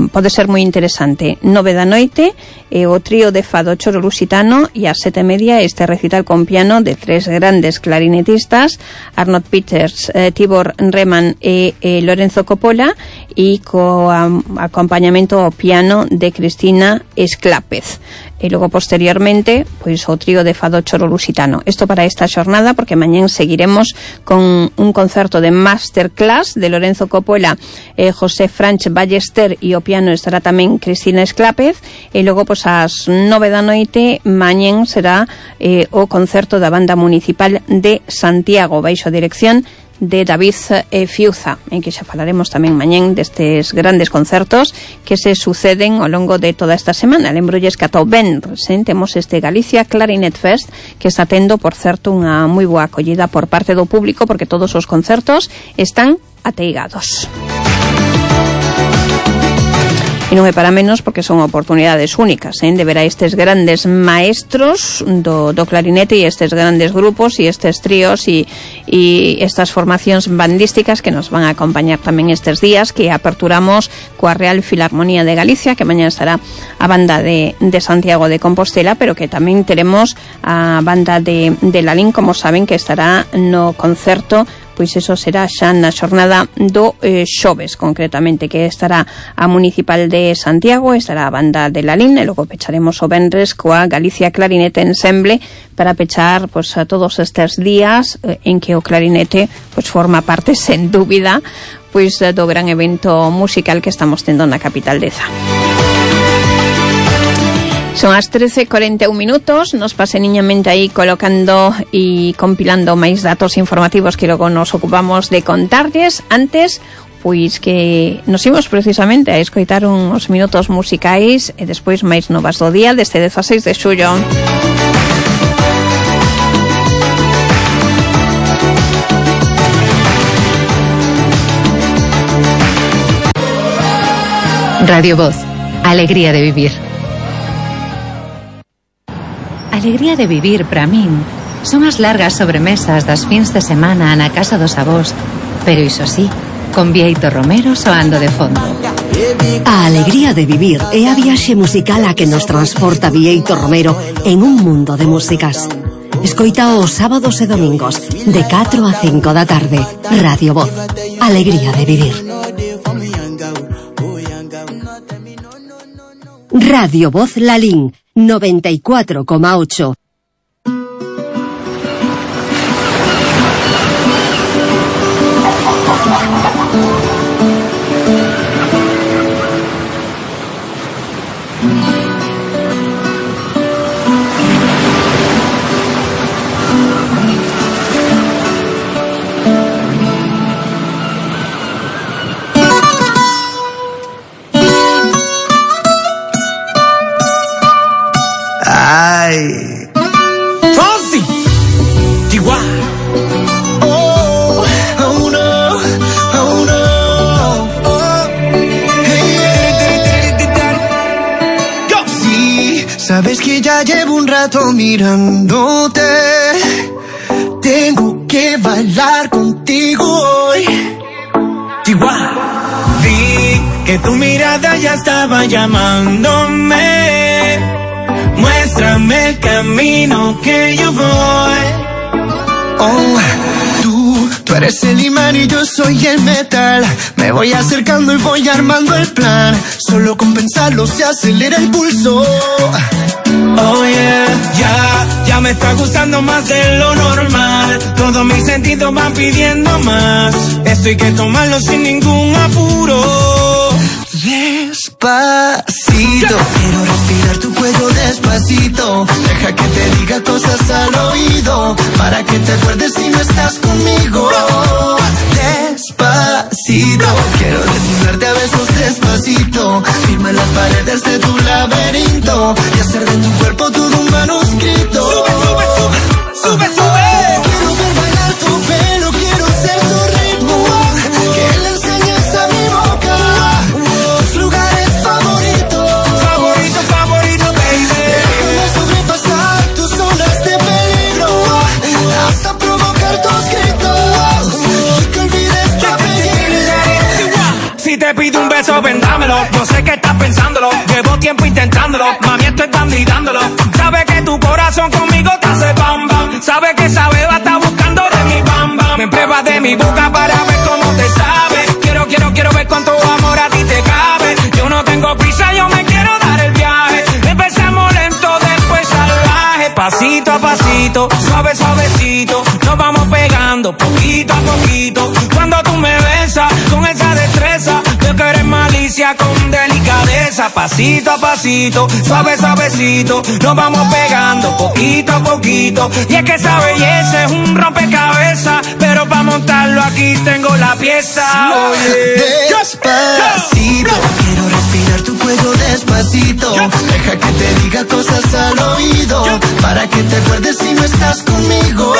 pode ser moi interesante. 9 da noite o trío de fado Choro Lusitano, e ás 7:30 este recital con piano de tres grandes clarinetistas, Arnold Peters, Tibor Reman e Lorenzo Coppola, e co acompañamento ao piano de Cristina Esclápez. E logo posteriormente pois o trío de fado Choro Lusitano. Isto para esta xornada, porque mañán seguiremos con un concerto de masterclass de Lorenzo Coppola, José Franch Ballester, e o piano estará tamén Cristina Esclápez. E logo pois ás 9 da noite mañán será o concerto da Banda Municipal de Santiago, baixo a dirección de David Fiuza, en que xa falaremos tamén mañán destes grandes concertos que se suceden ao longo de toda esta semana. Lembrolles que ata o venres temos este Galicia Clarinet Fest, que está tendo, por certo, unha moi boa acollida por parte do público, porque todos os concertos están ateigados. E non é para menos porque son oportunidades únicas, de ver a estes grandes maestros do clarinete e estes grandes grupos e estes tríos e estas formacións bandísticas que nos van a acompañar tamén estes días, que aperturamos coa Real Filarmonía de Galicia, que mañá estará a banda de Santiago de Compostela, pero que tamén teremos a banda de Lalín, como saben, que estará no concerto, pois eso será xa na xornada do xoves, concretamente, que estará a Municipal de Santiago, estará a banda de Lalín, e logo pecharemos o venres coa Galicia Clarinete Ensemble para pechar pois a todos estes días en que o clarinete pois forma parte, sen dúbida, pois do gran evento musical que estamos tendo na capital de Za. Son as 13:41 minutos, nos paseniñamente aí colocando e compilando máis datos informativos que logo nos ocupamos de contarles. Antes, pois que nos imos precisamente a escoitar uns minutos musicais e despois máis novas do día deste 16 de xullo. Radio Voz, alegría de vivir. Alegría de vivir para min son as largas sobremesas das fins de semana na casa dos avós, pero iso sí, con Bieito Romero soando de fondo. A alegría de vivir é a viaxe musical a que nos transporta Bieito Romero en un mundo de músicas. Escoita os sábados e domingos de 4 a 5 da tarde. Radio Voz, alegría de vivir. Radio Voz Lalín 94,8. Fonsi, Chihuahua. Oh, oh no, oh no. Oh. Hey, yo. Sí, sabes que ya llevo un rato mirándote. Tengo que bailar contigo hoy. Chihuahua. Vi que tu mirada ya estaba llamándome. Muéstrame el camino que yo voy. Oh, tú eres el imán y yo soy el metal. Me voy acercando y voy armando el plan. Solo con pensarlo se acelera el pulso. Oh yeah, ya me está gustando más de lo normal. Todos mis sentidos van pidiendo más. Esto hay que tomarlo sin ningún apuro. Despacito, quiero respirar tu cuello despacito. Deja que te diga cosas al oído, para que te acuerdes si no estás conmigo. Despacito, quiero desnudarte a besos despacito. Firma las paredes de tu laberinto y hacer de tu cuerpo todo un manuscrito. Sube, sube, sube, sube, sube. Quiero ver bailar tu pelo, quiero ser tu ritmo. Que le enseñes a mi boca tus lugares favoritos. Favorito, favorito, baby. Déjame sobrepasar tus zonas de peligro hasta provocar tus gritos y que olvides tu apellido. Si te pido un beso, vendámelo. Yo sé que estás pensándolo. Llevo tiempo intentándolo. Mami, estoy candidándolo. Sabes que tu corazón conmigo te hace bam bam. Sabes que esa beba está buscando de mi bam bam. Me pruebas de mi boca para ver cómo te sabe. Quiero ver cuánto amor a ti te cabe. Yo no tengo prisa, yo me quiero dar el viaje. Empecemos lento, después salvaje. Pasito a pasito, suave, suavecito. Nos vamos pegando poquito a poquito. Cuando tú me besas con esa destreza, veo que eres malicia con delicadeza. Pasito a pasito, suave, suavecito. Nos vamos pegando poquito a poquito. Y es que esa belleza es un rompecabezas, pero para montarlo aquí tengo la pieza. Oye, despacito, quiero respirar tu cuello despacito. Deja que te diga cosas al oído, para que te acuerdes si no estás conmigo.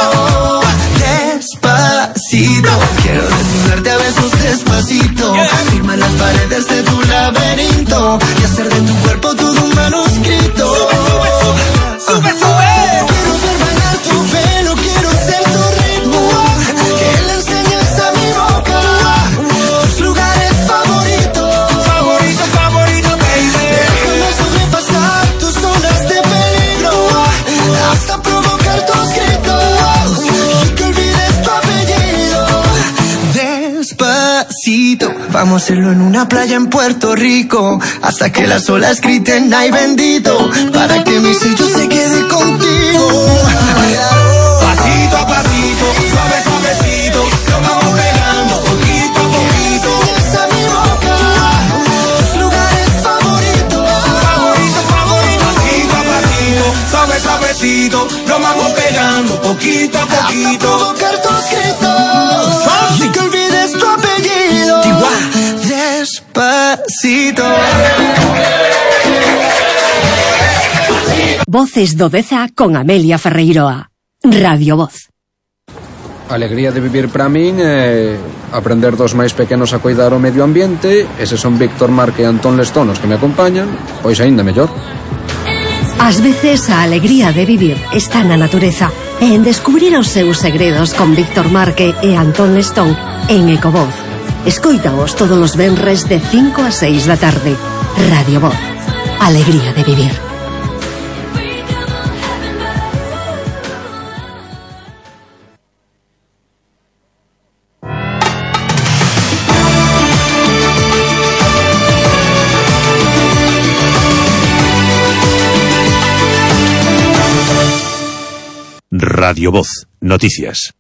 Despacito, quiero desnudarte a besos despacito. Firma las paredes de tu laberinto escrito y hacer de tu cuerpo todo un manuscrito. Sube, sube. Quiero ver bailar tu pelo, quiero ser tu ritmo, que le enseñes a mi boca tus lugares favoritos. Favorito, baby. Déjame sobrepasar tus zonas de peligro hasta provocar tus gritos y que olvides tu apellido. Despacito, vamos a hacerlo en una playa en Puerto Rico, hasta que las olas griten ay bendito, para que mi sello se quede contigo. Pasito a pasito, suave suavecito, lo vamos pegando poquito a poquito. A mi boca tus lugares favoritos. Favorito. Pasito a pasito, suave suavecito, lo vamos pegando poquito a poquito. Hasta provocar tus gritos y que olvides tu apellido. Despacito. Voces do Deza con Amelia Ferreiroa. Radio Voz. A alegría de vivir para min é aprender dos máis pequenos a cuidar o medio ambiente. Eses son Víctor Marque e Antón Lestón os que me acompañan. Pois aínda mellor. Ás veces a alegría de vivir está na natureza e en descubrir os seus segredos con Víctor Marque e Antón Lestón en Ecovoz. Escoítaos todos os venres de 5 a 6 da tarde. Radio Voz. Alegría de vivir. Radio Voz. Noticias.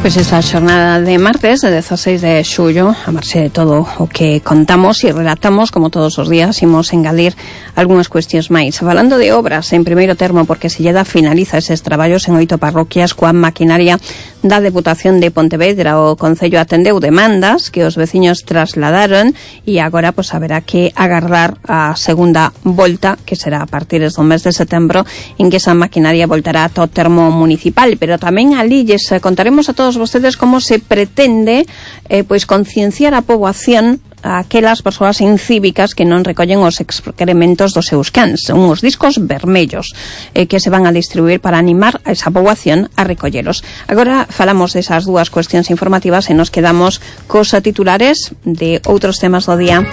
Pois esta xornada de martes, de 16 de xullo, a marxe de todo o que contamos e relatamos, como todos os días, imos engadir algunhas cuestións máis. Falando de obras, en primeiro termo, porque Silleda finaliza eses traballos en 8 parroquias coa maquinaria da Deputación de Pontevedra. O Concello atendeu demandas que os veciños trasladaron e agora pois haberá que agardar a segunda volta, que será a partir do mes de setembro, en que esa maquinaria voltará ata o termo municipal. Pero tamén ali lles contaremos a todos vostedes como se pretende pois concienciar a poboación, a aquelas persoas incívicas que non recollen os excrementos dos seus cans, unhos discos vermellos que se van a distribuir para animar a esa poboación a recollelos. Agora falamos desas dúas cuestións informativas e nos quedamos cos titulares de outros temas do día.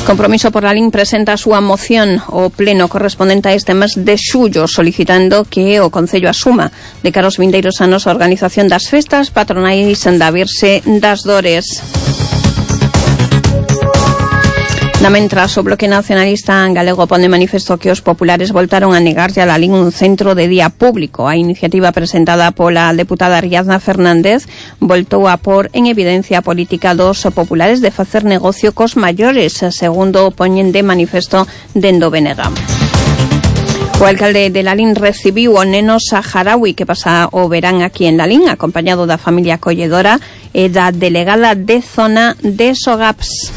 Compromiso por la LIN presenta a súa moción ao pleno correspondente a este mes de xullo, solicitando que o Concello asuma de cara aos vindeiros anos a organización das festas patronais da Virxe das Dores. Na mentras, o Bloque Nacionalista Galego pon de manifesto que os populares voltaron a negarlle a la LIN un centro de día público. A iniciativa presentada pola deputada Ariadna Fernández voltou a por en evidencia a política dos populares de facer negocio cos maiores, segundo poñen de manifesto dende o BNG. O alcalde de Lalín recibiu o neno saharaui que pasa o verán aquí en Lalín, acompañado da familia acolledora e da delegada de zona de Sogaps.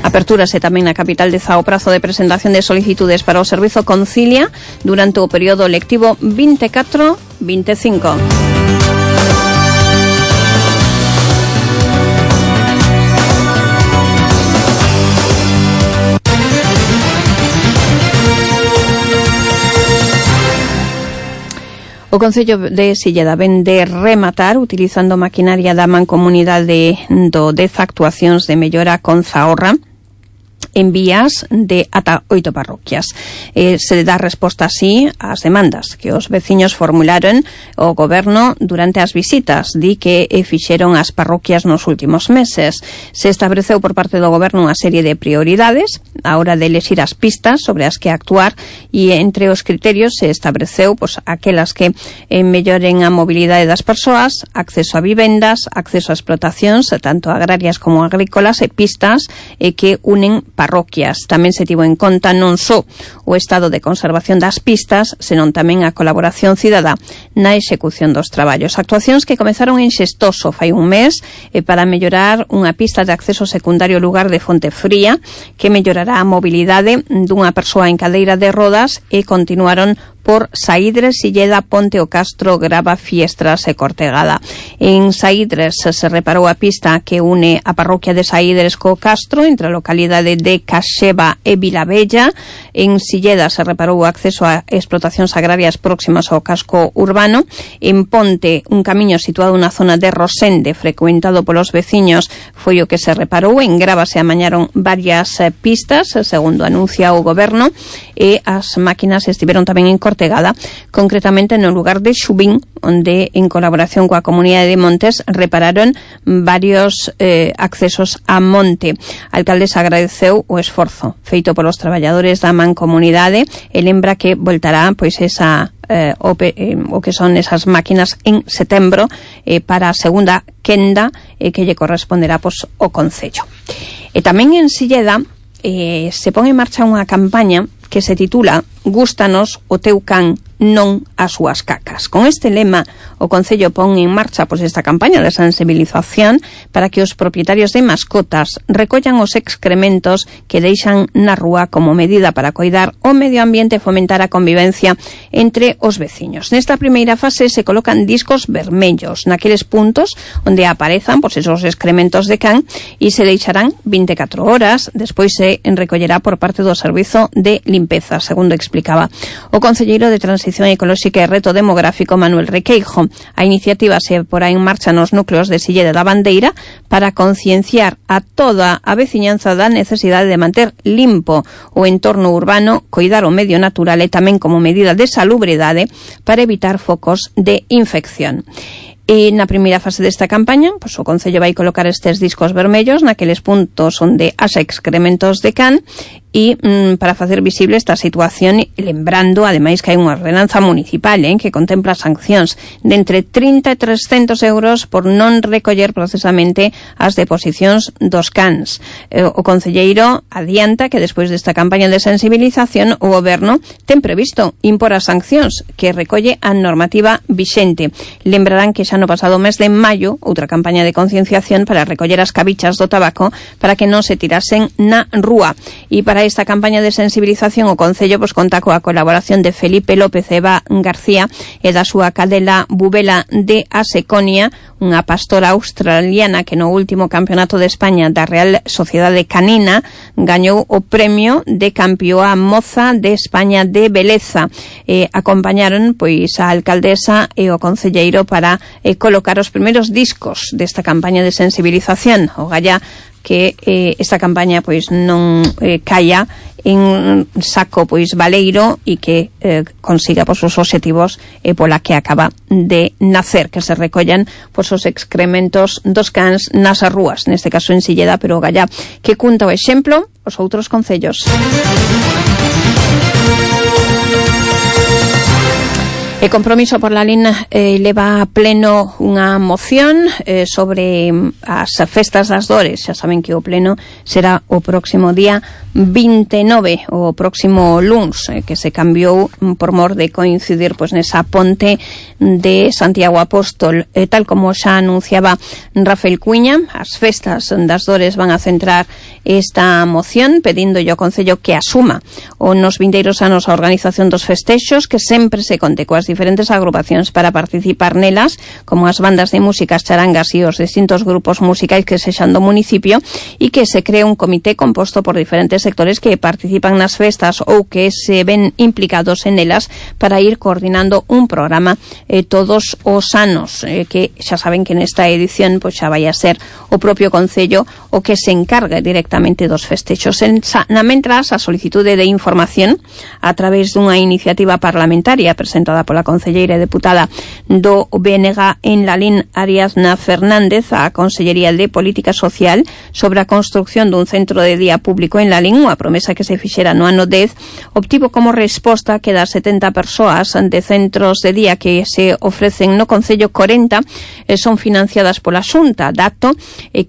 Apertúrase tamén na capital de Zao o prazo de presentación de solicitudes para o Servizo Concilia durante o período lectivo 24-25. O Concello de Silleda ven de rematar utilizando maquinaria da Mancomunidade do Deza actuacións de mellora con Zahorra en vías de ata 8 parroquias. Se dá resposta así ás demandas que os veciños formularon ao goberno durante as visitas, di que fixeron as parroquias nos últimos meses. Se estableceu por parte do goberno unha serie de prioridades, a hora de elexir as pistas sobre as que actuar, e entre os criterios se estableceu pois aquelas que melloren a mobilidade das persoas, acceso a vivendas, acceso a explotacións tanto agrarias como agrícolas, e pistas que unen parroquias. Tamén se tivo en conta non só o estado de conservación das pistas, senón tamén a colaboración cidadá na execución dos traballos. Actuacións que comezaron en Xestoso fai un mes para mellorar unha pista de acceso secundario ao lugar de Fonte Fría, que mellorará a mobilidade dunha persoa en cadeira de rodas, e continuaron por Saídres, Silleda, Ponte o Castro, Grava, Fiestras e Cortegada. En Saídres se reparou a pista que une a parroquia de Saídres co Castro, entre a localidade de Caxeva e Vilavella. En Silleda se reparou o acceso a explotacións agrarias próximas ao casco urbano. En Ponte, un camiño situado na zona de Rosende, frecuentado polos veciños, foi o que se reparou. En Grava se amañaron varias pistas, segundo anuncia o goberno, e as máquinas estiveron tamén en Cortegada, concretamente no lugar de Xubín, onde en colaboración coa comunidade de Montes repararon varios accesos a monte. A alcaldesa agradeceu o esforzo feito polos traballadores da mancomunidade e lembra que voltará pois esa o que son esas máquinas en setembro para a segunda quenda que lle corresponderá pois o Concello. E tamén en Silleda se pon en marcha unha campaña que se titula Gústanos o teu can, non as súas cacas. Con este lema, o Concello pon en marcha pois esta campaña de sensibilización para que os propietarios de mascotas recollan os excrementos que deixan na rúa como medida para coidar o medio ambiente e fomentar a convivencia entre os veciños. Nesta primeira fase se colocan discos vermellos naqueles puntos onde aparezan pois esos excrementos de can, e se deixarán 24 horas, despois se recollerá por parte do Servizo de Limpeza, segundo explicaba o concelleiro de Transición Ecolóxica e Reto Demográfico, Manuel Requeijo. A iniciativa se porá en marcha nos núcleos de Silleda da Bandeira para concienciar a toda a veciñanza da necesidade de manter limpo o entorno urbano, coidar o medio natural e tamén como medida de salubridade para evitar focos de infección. E na primeira fase desta campaña, pois o Concello vai colocar estes discos vermellos naqueles puntos onde haxa excrementos de can, e para facer visible esta situación, lembrando ademais que hai unha ordenanza municipal que contempla sancións de entre 30 e 300 euros por non recoller procesamente as deposicións dos cans. O concelleiro adianta que despois desta campaña de sensibilización o goberno ten previsto impor as sancións que recolle a normativa vixente. Lembrarán que xa no pasado mes de maio outra campaña de concienciación para recoller as cabichas do tabaco para que non se tirasen na rúa. E para esta campaña de sensibilización o Concello pois conta coa colaboración de Felipe López Eva García e da súa cadela Bubela de Aseconia, unha pastora australiana que no último campeonato de España da Real Sociedade Canina gañou o premio de campeoa moza de España de beleza. Acompañaron pois a alcaldesa e o concelleiro para colocar os primeiros discos desta campaña de sensibilización. O galla que esta campaña pois non caia en saco pois baleiro e que consiga pois os obxectivos pola que acaba de nacer, que se recollan pois os excrementos dos cans nas rúas, neste caso en Silleda, pero o galla que conta o exemplo os outros concellos. E Compromiso por la Lin leva a pleno unha moción sobre as festas das Dores. Xa saben que o pleno será o próximo día 29, o próximo luns, que se cambiou por mor de coincidir pois nesa ponte de Santiago Apóstol. Tal como xa anunciaba Rafael Cuiña, as festas das Dores van a centrar esta moción pedindo ao Concello que asuma o nos vindeiros anos a organización dos festexos, que sempre se conte coas diferentes agrupacións para participar nelas, como as bandas de músicas, charangas e os distintos grupos musicais que sexan do municipio, e que se cree un comité composto por diferentes sectores que participan nas festas ou que se ven implicados en elas para ir coordinando un programa todos os anos, que xa saben que nesta edición pois xa vai a ser o propio Concello o que se encargue directamente dos festexos. Na mentras, a solicitude de información a través dunha iniciativa parlamentaria presentada por pola concelleira e deputada do BNG en Lalín, Ariadna Fernández, a Consellería de Política Social, sobre a construción dun centro de día público en Lalín, unha promesa que se fixera no ano 10, obtivo como resposta que das 70 persoas de centros de día que se ofrecen no Concello, 40 son financiadas pola Xunta, dato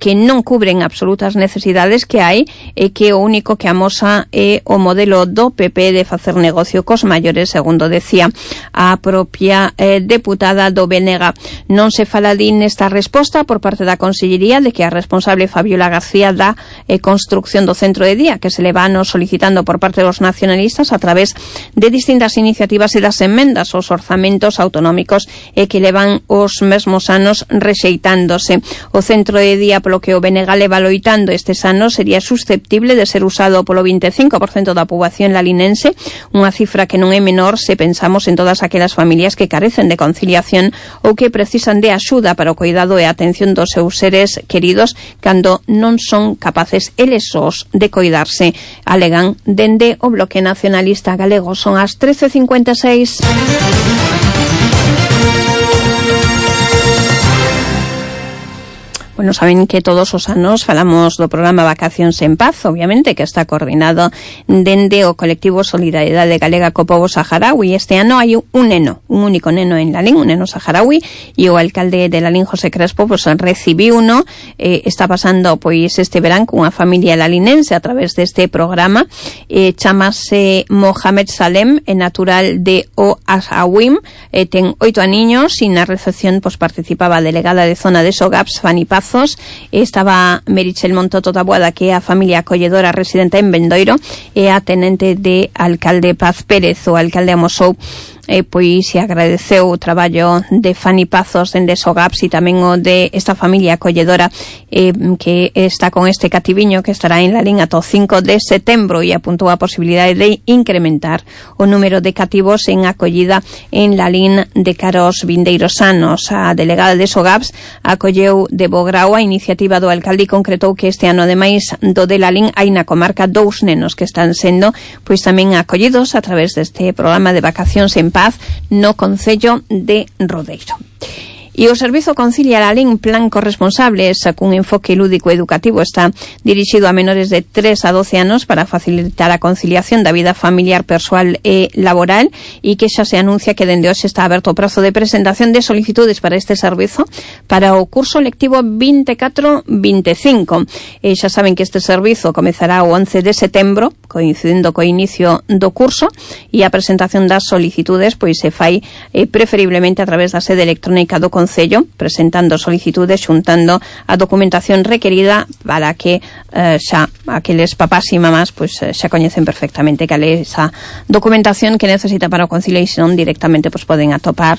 que non cubren absolutas necesidades que hai e que o único que amosa é o modelo do PP de facer negocio cos maiores, segundo decía a propia deputada do BNG. Non se fala nesta resposta por parte da Consellería de que a responsable Fabiola García da construcción do centro de día que se le van solicitando por parte dos nacionalistas a través de distintas iniciativas e das emendas aos orzamentos autonómicos e que levan os mesmos anos rexeitándose. O centro de día polo que o BNG leva loitando estes anos sería susceptible de ser usado polo 25% da poboación lalinense, unha cifra que non é menor se pensamos en todas aquelas familias que carecen de conciliación ou que precisan de axuda para o cuidado e a atención dos seus seres queridos cando non son capaces eles sós de coidarse, alegan dende o Bloque Nacionalista Galego. Son as 13:56. Bueno, saben que todos os anos falamos do programa Vacacións en Paz, obviamente, que está coordinado dende o colectivo Solidariedade Galega co Pobo Saharaui. Este ano hai un único neno en Lalín, un neno saharaui, e o alcalde de Lalín, José Crespo, pues recibiu uno, está pasando pois este verán cunha familia lalinense a través deste programa, chamase Mohamed Salem, é natural de O Asawim, ten 8 aniños e na recepción pues participaba a delegada de zona de Sogaps, Fanny Paz. Estaba Merichel Montoto Taboada, que é a familia acolledora residente en Bendoiro, e a tenente de alcalde Paz Pérez. O alcalde amosou pois se agradeceu o traballo de Fanny Pazos dende Sogaps e tamén o de esta familia acolledora que está con este cativiño que estará en Lalín ata o 5 de setembro, e apuntou a posibilidade de incrementar o número de cativos en acollida en Lalín de cara aos vindeiros anos. A delegada de Sogaps acolleu de bo grao a iniciativa do alcalde e concretou que este ano, ademais do de Lalín, hai na comarca 2 nenos que están sendo pois tamén acollidos a través deste programa de Vacacións en Paz no Concello de Rodeiro. E o Servizo Concilia Lalín, plan corresponsable, cun enfoque lúdico educativo, está dirixido a menores de 3 a 12 anos para facilitar a conciliación da vida familiar, persoal e laboral, e que xa se anuncia que dende hoxe está aberto o prazo de presentación de solicitudes para este servizo para o curso lectivo 24-25. E xa saben que este servizo comezará o 11 de setembro, coincidendo co inicio do curso, e a presentación das solicitudes pois se fai preferiblemente a través da sede electrónica do Concello, presentando solicitudes, xuntando a documentación requerida para que xa aqueles papás e mamás pois xa coñecen perfectamente cal é esa documentación que necesita para o Concello, e senón directamente pois poden atopar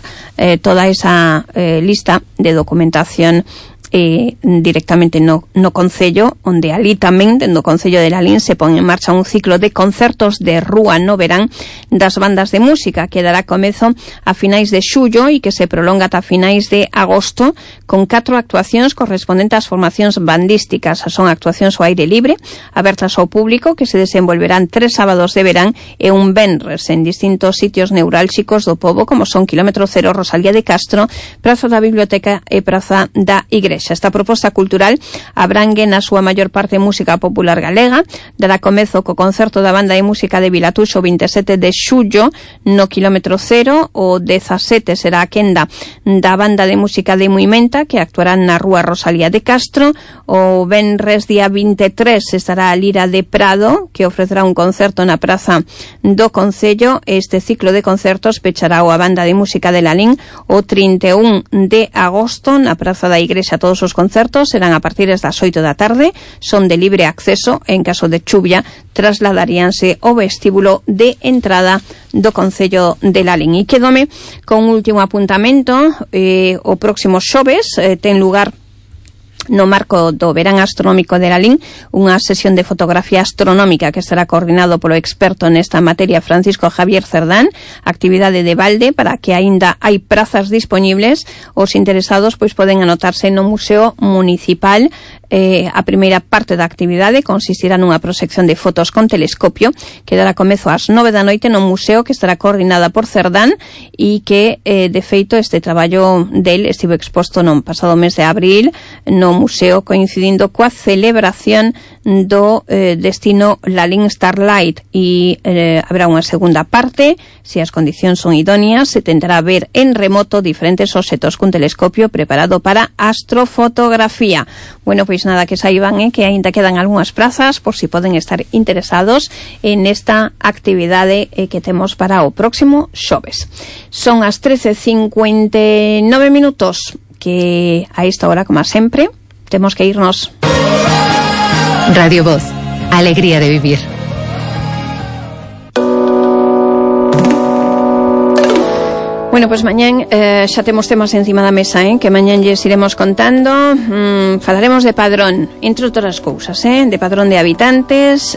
toda esa lista de documentación directamente no Concello, onde ali tamén dentro do Concello de Lalín se pon en marcha un ciclo de concertos de rúa no verán das bandas de música que dará comezo a finais de xullo e que se prolonga ata finais de agosto, con 4 actuacións correspondentes ás formacións bandísticas. Son actuacións ao aire libre, abertas ao público, que se desenvolverán 3 sábados de verán e un venres en distintos sitios neurálxicos do pobo, como son Kilómetro Cero, Rosalía de Castro, Praza da Biblioteca e Praza da Igrexa. Esta proposta cultural abrangue na súa maior parte música popular galega. Dará comezo co concerto da banda de música de Vilatuxo o 27 de xullo no Kilómetro Cero. O 17 será a quenda da banda de música de Muimenta, que actuarán na rúa Rosalía de Castro. O venres día 23 estará a Lira de Prado, que ofrecerá un concerto na Praza do Concello. Este ciclo de concertos pechará a banda de música de Lalín o 31 de agosto na Praza da Igrexa. Todos os concertos serán a partir das 8 da tarde, son de libre acceso. En caso de chuvia trasladaríanse ao vestíbulo de entrada do Concello de Lalín. E quedome con un último apuntamento. O próximo xoves ten lugar no marco do Verán Astronómico de Lalín, unha sesión de fotografía astronómica que estará coordinado polo experto nesta materia Francisco Javier Cerdán, actividade de balde para que aínda hai prazas disponibles. Os interesados pois poden anotarse no Museo Municipal. A primeira parte da actividade consistirá nunha proxección de fotos con telescopio que dará comezo ás 9 da noite no museo, que estará coordinada por Cerdán e que, de feito, este traballo del estivo exposto no pasado mes de abril no museo, coincidindo coa celebración do destino Lalín Starlight, e haberá unha segunda parte. Se as condicións son idóneas, se tentará ver en remoto diferentes obxetos cun telescopio preparado para astrofotografía. Bueno, pois nada, que saiban que aínda quedan algunhas prazas por si poden estar interesados en esta actividade que temos para o próximo xoves. Son as 13:59 minutos, que a esta hora, como sempre, temos que irnos. Radio Voz, alegría de vivir. Bueno, pues mañán xa temos temas encima da mesa, que mañán lles iremos contando. Falaremos de padrón, entre outras cousas, de padrón de habitantes,